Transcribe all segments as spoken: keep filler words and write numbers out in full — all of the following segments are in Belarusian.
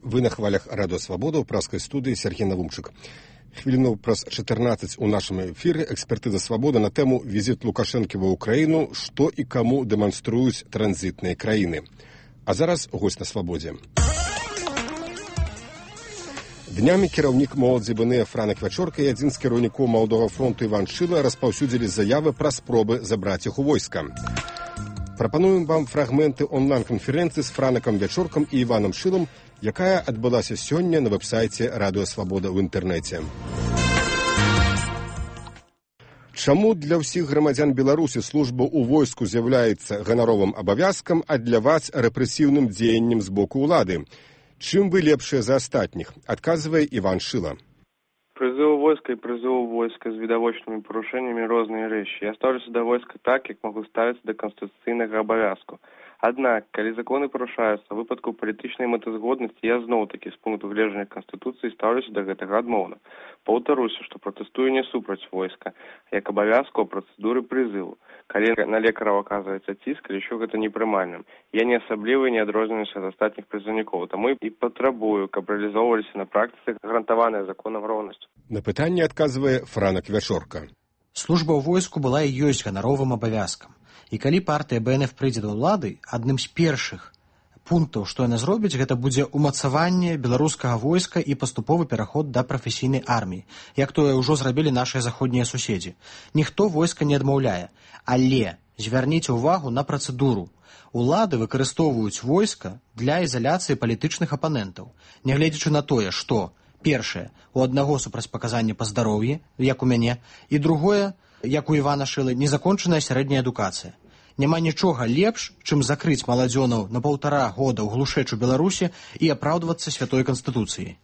Вы на хвалях Радио Свобода, у праской студии Сергей Навумчик. Хвилину праз чатырнаццаць у нашем эфире экспертиза «Свобода» на тему «Визит Лукашенко в Украину. Что и кому демонструют транзитные краины». А зараз гость на «Свободе». Днямі кіраўнік моладзі БНФ Франак Вячорка і адзін з кіраўнікоў Маладога фронту Іван Шыла распаўсюдзілі заявы пра спробы забраць іх у войска. Прапануем вам фрагменты онлайн-канферэнцыі з Франакам Вячоркам і Іванам Шылам, якая адбылася сёння на вэб-сайце Радио Свобода ў інтэрнэце. Чаму для ўсіх грамадзян Беларусі служба ў войску з'яўляецца ганаровым абавязкам, а для вас рэпрэсіўным дзеяннем з боку ўлады? Чым вы лепшыя за астатніх? Адказвае Іван Шыла. Призыв войска и призыв войска с видовочными порушениями разные речи. Я ставлюся до войска так, как могу ставиться до конституційного обов'язку. Однак, коли закони порушаються в випадку політичної метазгодності, я знову-таки з пункту гледжання Конституції ставлюся до гэтага адмоўна. Паўтаруся, што протестую не супраць войска, як абавязку процедуры призыву. Калі на лекараў оказывается ціск, лічу гэта непрымальным. Я не асабліва не адрозніваюся ад астатніх прызыўнікоў, таму і патрабую, каб рэалізоўваліся на практыцы гарантаваная законам роўнасць. На пытанне адказвае Франак Вячорка. Служба ў войску была і ёсць ганаровым абавязкам. І калі партыя БНФ прыйдзе да ўлады, адным з першых пунктаў, што яна зробіць, гэта будзе умацаванне беларускага войска і паступовы пераход да прафесійнай арміі, як тое ўжо зрабілі нашыя заходнія суседзі. Ніхто войска не адмаўляе, але звярніце ўвагу на працэдуру. Улады выкарыстоўваюць войска для ізаляцыі палітычных апанентаў, нягледзячы на тое, што першае, у аднаго супрацьпаказанне па здароўі, як у мяне, і другое, як у Івана Шылы, незакончаная сярэдняя адукацыя. Няма нічога лепш, чым закрыць маладзёнаў на паўтара года ў глушэчу Беларусі і апраўдвацца святой канстытуцыяй.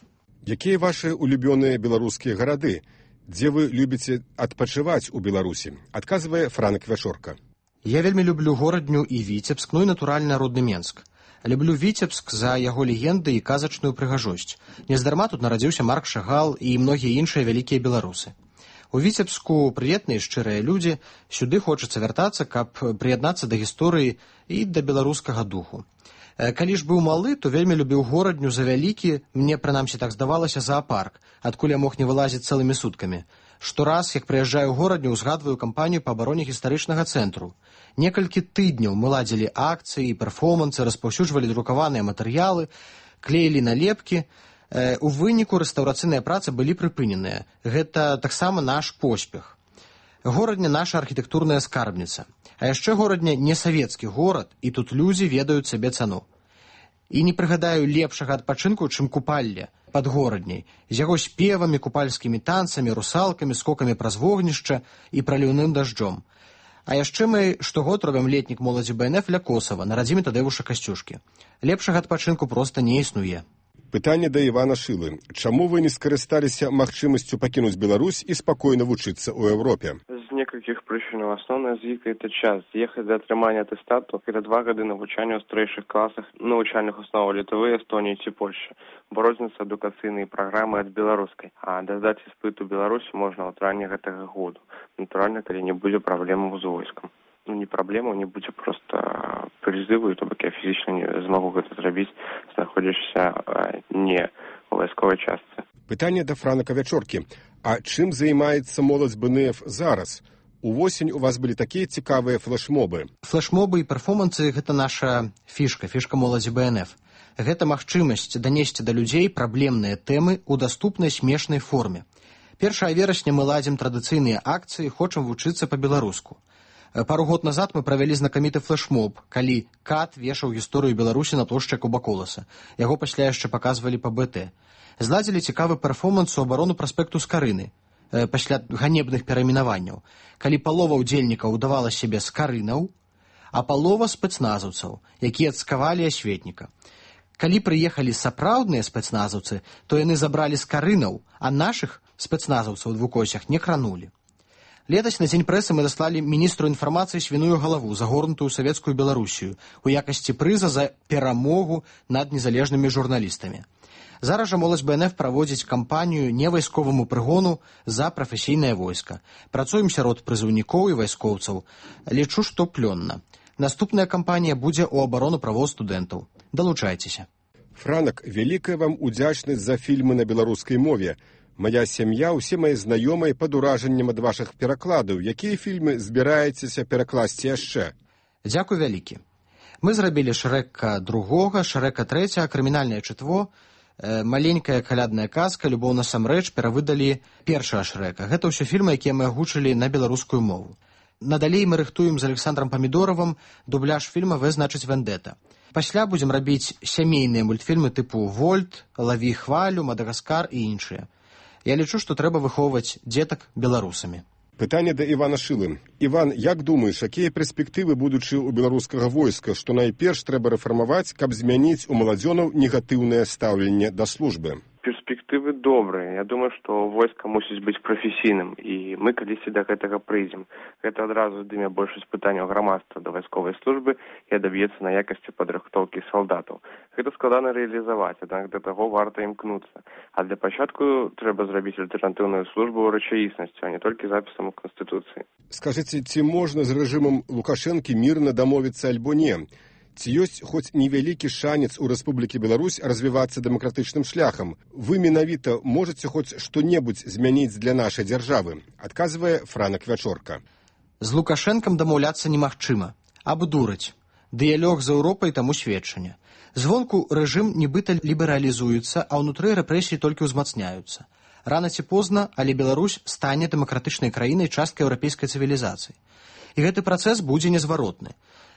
Якія вашы улюбёныя беларускія гарады? Дзе вы любіце адпачываць у Беларусі? Адказвае Франак Вячорка. Я вельмі люблю горадню і Віцебск, ну і натуральна родны Менск. Люблю Віцебск за яго легенды і казачную прыгажосць. Нездарма тут нарадзіўся Марк Шагал і многія іншыя вялікія беларусы. У Віцебску прыветныя шчырыя людзі, сюды хочацца вяртацца, каб прыяднацца да гісторыі і да беларускага духу. Калі ж быў малы, то вельмі любіў горадню за вялікі, мне прынамсі так здавалася, зоапарк, адкуль я мог не вылазіць цэлымі суткамі. Штораз, як прыязджаю ў горадню, узгадваю кампанію па абароне гістарычнага цэнтру. Некалькі тыдняў мы ладзілі акцыі, перформансы, распаўсюджвалі друкаваныя матэрыялы, клеілі налепкі. У выніку рэстаўрацыйныя працы былі прыпыненыя. Гэта таксама наш поспех. Горадня наша архітэктурная скарбніца. А яшчэ горадня не савецкі горад, і тут людзі ведаюць сабе цану. І не прыгадаю лепшага адпачынку, чым купалле пад горадняй, з яго спевамі, купальскімі танцамі, русалкамі, скокамі праз вогнішча і праліўным дажджом. А яшчэ мы штогод робім летнік моладзі БНФ ля Косава, на радзіме Тадеуша Касцюшкі. Лепшага адпачынку проста не існуе. Пытанне да Івана Шылы. Чаму вы не скарысталіся магчымасцю пакінуць Беларусь і спакойна вучыцца ў Еўропе? З некалькіх прычынаў. Асноўная з іх – это час. З'ехаць да атрымання атэстату – это два гады навучання ў старэйшых класах навучальных основаў Літвы, Эстоніі ці Польшчы. Бо розніца адукацыйнай праграмы ад беларускай. А дадаць іспыт у Беларусі можна ў травні гэтага году. Натуральна, калі не будзе праблемаў з войскам. Ну, не праблема, не будзе проста прызыву, то бок я фізічна не змагу гэта зрабіць, знаходзішся не у вайсковай частцы. Пытанне да Франака Вячоркі. А чым займаецца моладзь БНФ зараз? Увосень у вас былі такія цікавыя флешмобы. Флешмобы і перформансы – гэта наша фішка, фішка моладзі БНФ. Гэта магчымасць данесці да людзей праблемныя тэмы ў даступнай смешнай форме. першага верасня мы ладзім традыцыйныя акцыі, хочам вучыцца па-беларуску. Пару год назад мы правялі знакаміты флешмоб, калі Кат вешаў гісторыю Беларусі на плошчы Кубаколаса. Яго пасля яшчэ паказвалі па бэ тэ. Зладзілі цікавы перформанс у абарону праспекту Скарыны, пасля ганебных перайменаванняў, калі палова ўдзельнікаў удавала сябе скарынаў, а палова спецназаўцаў, якія цкавалі асветніка. Калі прыехалі сапраўдныя спецназаўцы, то яны забралі скарынаў, а нашых спецназаўцаў у двукосях не кранулі. Летась на дзень прэсы мы даслалі міністру інфармацыі свіную галаву, загорнутую савецкую Беларусію, у якасці прыза за перамогу над незалежнымі журналістамі. Зараз жа моладзь БНФ праводзіць кампанію невайсковаму прыгону за прафесійнае войска. Працуем сярод прызыўнікоў і вайскоўцаў. Лічу, што плённа. Наступная кампанія будзе ў абарону правоў студэнтаў. Далучайцеся. Франак, вялікая вам удзячнасць за фільмы на беларускай мове. Мая сям'я, усе мае знаёмыя пад уражаннем ад вашых перакладаў. Якія фільмы збіраецеся перакласці яшчэ? Дзякуй вялікі. Мы зрабілі Шрэка другога, Шрэка трэцяга, крымінальнае чытво, маленькая калядная казка, любоў насамрэч перавыдалі першага Шрэка. Гэта ўсё фільмы, якія мы агучылі на беларускую мову. Надалей мы рыхтуем з Александром Памідоровым дубляж фільма «Вэ значыць вендэта». Пасля будзем рабіць сямейныя мультфільмы тыпу «Вольт», «Лаві хвалю», «Мадагаскар» і іншыя. Я лічу, што трэба выхоўваць дзетак беларусамі. Пытанне да Івана Шылы. Іван, як думаеш, якія перспектывы будучы ў беларускага войска, што найперш трэба рэфармаваць, каб змяніць у маладзёнаў негатыўнае стаўленне да службы? Перспектывы добрыя. Я думаю, што войска мусіць быць прафесійным, і мы калісьці да гэтага прыйдзем. Гэта адразу здыме большасць пытанняў грамадства да вайсковай службы і адаб'ецца на якасці падрыхтоўкі салдатаў. Гэта складана рэалізаваць, аднак да таго варта імкнуцца. А для пачатку трэба зрабіць альтэрнатыўную службу рэчаіснасцю, а не толькі запісам у Канстытуцыі. Скажыце, ці можна з рэжымам Лукашэнкі мірна дамовіцца альбо не? Ці ёсць хоць невялікі шанец у Рэспублікі Беларусь развівацца дэмакратычным шляхам? Вы менавіта можаце хоць што-небудзь змяніць для нашай дзяржавы? Адказвае Франак Вячорка. З Лукашэнкам дамаўляцца немагчыма. Абдураць. Дыялог з Еўропай таму сведчанне. Звонку рэжым нібыта лібералізуецца, а ўнутры рэпрэсіі толькі ўзмацняюцца. Рана ці позна, але Беларусь стане дэмакратычнай краінай часткай еўрапейскай цывілізацыі. І гэты працэс будзе незваротны.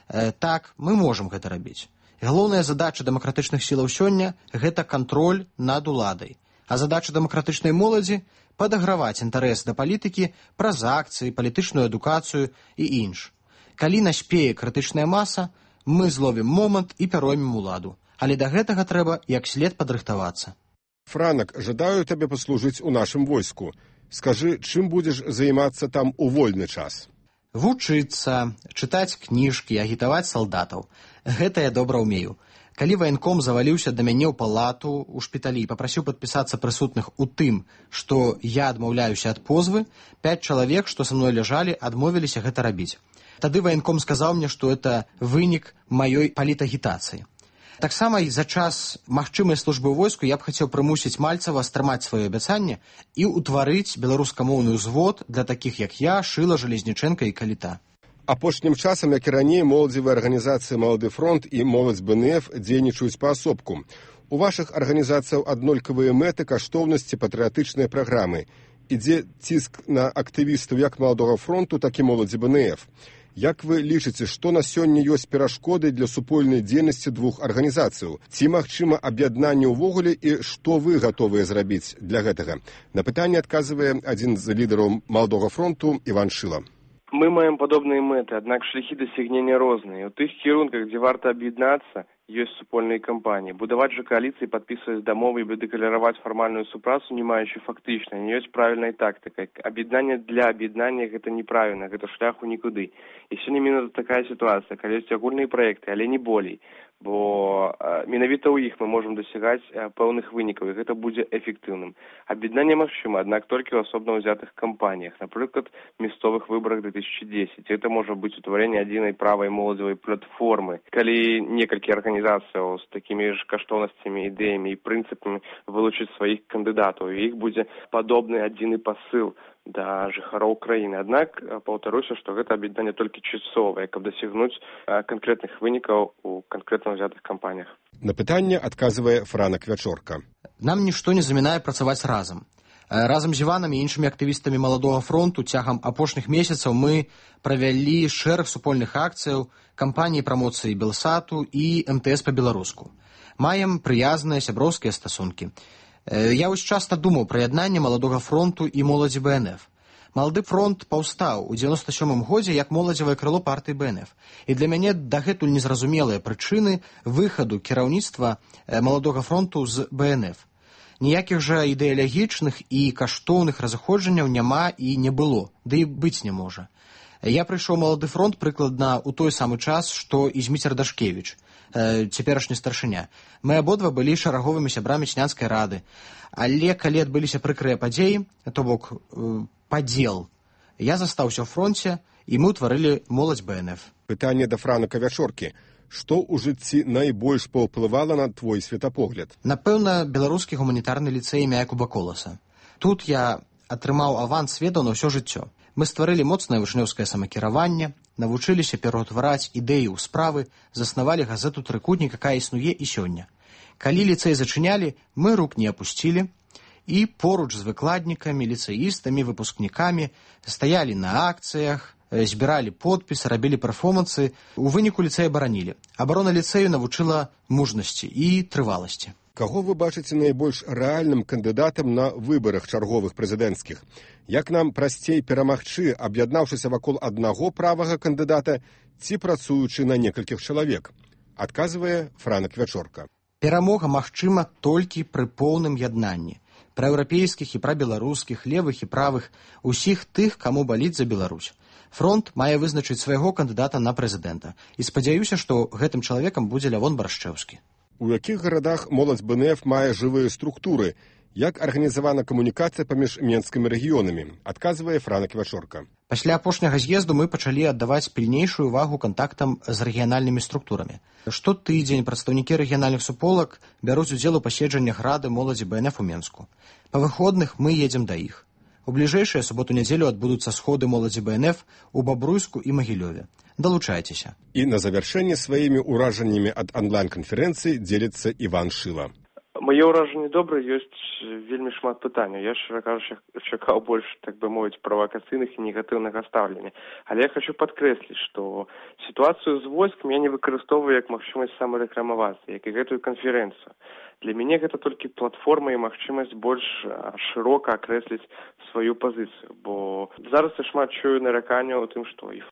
Э, так, мы можам гэта рабіць. Галоўная задача дэмакратычных сілаў сёння – гэта кантроль над уладай. А задача дэмакратычнай моладзі – падаграваць інтарэс да палітыкі праз акцыі, палітычную адукацыю і інш. Калі наспее крытычная маса, мы зловім момант і пяроймем уладу. Але да гэтага трэба як след падрыхтавацца. Франак, жадаю табе паслужыць у нашым войску. Скажы, чым будзеш займацца там у вольны час? Вучыцца, чытаць кніжкі, агітаваць салдатаў. Гэта я добра ўмею. Калі ваенком заваліўся да мяне ў палату ў шпіталі і папрасіў падпісацца прысутных у тым, што я адмаўляюся ад позвы, пяць чалавек, што са мной ляжалі, адмовіліся гэта рабіць. Тады ваенком сказаў мне, што гэта вынік маёй палітагітацыі. Таксама і за час магчымай службы ў войску я б хацеў прымусіць Мальцева стрымаць сваё абяцанне і ўтварыць беларускамоўны ўзвод для такіх, як я, Шыла, Жалезнічэнка і Каліта. Апошнім часам, як і раней, моладзевыя арганізацыі «Малады фронт» і «Моладзь БНФ» дзейнічаюць паасобку. У вашых арганізацыяў аднолькавыя мэты, каштоўнасці, патрыятычныя праграмы. Ідзе ціск на актывістаў як «Маладога фронту», так і «Моладзі БНФ». Як вы лічыце, што на сёння ёсць перашкоды для супольнай дзейнасці двух арганізацыяў? Ці магчыма аб'яднанне ўвогуле і што вы гатовыя зрабіць для гэтага? На пытанне адказвае адзін з лідараў «Маладога фронту» Іван Шыла. Мы маем падобныя мэты, аднак шляхі дасягнення розныя. У тых кірунках, дзе варта аб'яднацца, ёсць супольныя кампаніі. Будаваць жа кааліцыі, падпісваць дамовы і дэклараваць фармальную супрацу, не маючы фактычна, не ёсць правільнай тактыкай. Аб'яднанне для аб'яднання гэта неправільна, гэта шляху нікуды. І сёння менавіта такая сітуацыя, калі ёсць агульныя праекты, але не болей. Бо э, менавіта ў іх мы можам дасягаць э, пэўных вынікаў, і гэта будзе эфектыўным. Аб'яднанне магчыма, аднак толькі ў асобна ўзятых кампаніях, напрыклад, мясцовых выбарах две тысячи десять. Это можа быць утварэнне адзінай правай моладзевай платформы. Калі некалькі арганізацыяў з такімі ж каштоўнасцямі, ідэямі і прынцыпамі вылучыць сваіх кандыдатаў, і іх будзе падобны адзіны пасыл да жыхароў краіны. Аднак, паўтаруся, што гэта аб'яднанне толькі часовае, каб дасягнуць канкрэтных вынікаў у канкрэтна ўзятых кампаніях. На пытанне адказвае Франак Вячорка. Нам нішто не замінае працаваць разам. Разам з Іванам і іншымі актывістамі «Маладога фронту» цягам апошніх месяцаў мы правялі шэраг супольных акцыяў, кампаніі прамоцыі Белсату і эм тэ эс па-беларуску. Маем прыязныя сяброўскія стасункі. Я вось часта думаў пра яднанне «Маладога фронту» і «Моладзі БНФ». «Малады фронт» паўстаў у дзевяносто сёмым годзе як моладзевае крыло партыі БНФ. І для мяне дагэтуль незразумелыя прычыны выхаду кіраўніцтва «Маладога фронту» з БНФ. Ніякіх жа ідэалагічных і каштоўных разыходжанняў няма і не было, ды і быць не можа. Я прыйшоў «Малады фронт» прыкладна ў той самы час, што і Зміцер Дашкевіч, цяперашні старшыня. Мы абодва былі шараговымі сябрамі Снянскай рады. Але калі адбыліся прыкрыя падзеі, то бок падзел, я застаўся ў фронце, і мы ўтварылі «Моладзь БНФ». Пытанне да Франака Вячоркі. Што ў жыцці найбольш паўплывала на твой светапогляд? Напэўна, беларускі гуманітарны ліцэй імя Якуба Коласа. Тут я атрымаў аванс ведаў на ўсё жыццё. Мы стварылі моцнае вучнёўскае самакіраванне, навучыліся пераўтвараць ідэі ў справы, заснавалі газету «Трыкутнік», якая існуе і сёння. Калі ліцэй зачынялі, мы рук не апусцілі і поруч з выкладнікамі, ліцэістамі, выпускнікамі стаялі на акцыях, збіралі подпісы, рабілі перформансы. У выніку ліцэй абаранілі. Абарона ліцэю навучыла мужнасці і трываласці. Каго вы бачыце найбольш рэальным кандыдатам на выбарах чарговых прэзідэнцкіх? Як нам прасцей перамагчы, аб'яднаўшыся вакол аднаго правага кандыдата ці працуючы на некалькіх чалавек? Адказвае Франак Вячорка. Перамога магчыма толькі пры поўным яднанні праеўрапейскіх і прабеларускіх, левых і правых, усіх тых, каму баліць за Беларусь. Фронт мае вызначыць свайго кандыдата на прэзідэнта. І спадзяюся, што гэтым чалавекам будзе Лявон Барашчэўскі. У якіх гарадах моладзь бэ эн эф мае жывыя структуры? Як арганізавана камунікацыя паміж менскімі рэгіёнамі? Адказвае Франак Вячорка. Пасля апошняга з'езду мы пачалі аддаваць пільнейшую увагу кантактам з рэгіянальнымі структурамі. Штотыдзень прадстаўнікі рэгіянальных суполак бяруць удзел у паседжаннях рады моладзі бэ эн эф у Менску. Па выходных мы едзем да іх. У бліжэйшыя суботу-нядзелю адбудуцца сходы моладзі бэ эн эф у Бабруйску і Магілёве. Далучайцеся. І на завяршэнне сваімі ўражаннямі ад онлайн-канферэнцыі дзеліцца Іван Шыла. Мае ўражанні добрыя, ёсць вельмі шмат пытанняў. Я, шчыра кажучы, чакаў больш, так бы мовіць, правакацыйных і негатыўнага стаўлення. Але я хочу падкрэсліць, што сітуацыю з войскам я не выкарыстоўваю як магчымасць самарэкламавацца, як і гэтую канферэнцыю. Для мяне гэта толькі платформа і магчымасць больш шырока акрэсліць сваю пазіцыю, бо зараз я шмат чую нараканняў у тым, што і